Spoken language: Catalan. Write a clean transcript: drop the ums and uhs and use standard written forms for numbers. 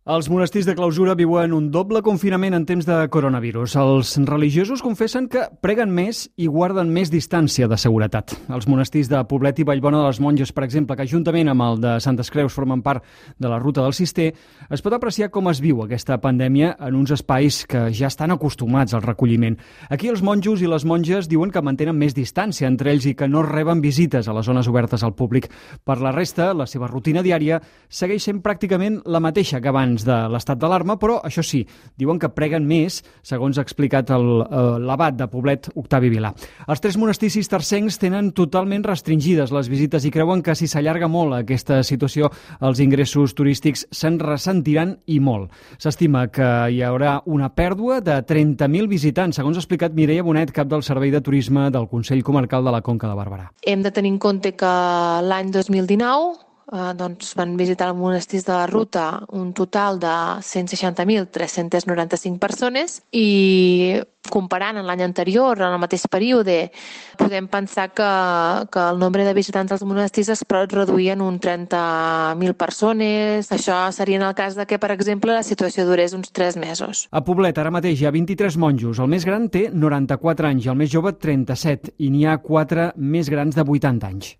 Els monestirs de clausura viuen un doble confinament en temps de coronavirus. Els religiosos confessen que preguen més i guarden més distància de seguretat. Els monestirs de Poblet i Vallbona de les Monges, per exemple, que juntament amb el de Santes Creus formen part de la ruta del Cister, es pot apreciar com es viu aquesta pandèmia en uns espais que ja estan acostumats al recolliment. Aquí els monjos i les monges diuen que mantenen més distància entre ells i que no reben visites a les zones obertes al públic. Per la resta, la seva rutina diària segueix sent pràcticament la mateixa que abans de l'estat d'alarma, però això sí, diuen que preguen més, segons ha explicat l'abat de Poblet, Octavi Vilà. Els 3 monestirs cistercencs tenen totalment restringides les visites i creuen que si s'allarga molt aquesta situació, els ingressos turístics se'n ressentiran i molt. S'estima que hi haurà una pèrdua de 30.000 visitants, segons ha explicat Mireia Bonet, cap del Servei de Turisme del Consell Comarcal de la Conca de Barberà. Hem de tenir en compte que l'any 2019 van visitar els monestirs de la ruta un total de 160.395 persones i comparant amb l'any anterior, en el mateix període, podem pensar que el nombre de visitants als monestirs es pot reduir en un 30.000 persones. Això seria en el cas de que, per exemple, la situació durés uns 3 mesos. A Poblet ara mateix hi ha 23 monjos. El més gran té 94 anys i el més jove 37 i n'hi ha 4 més grans de 80 anys.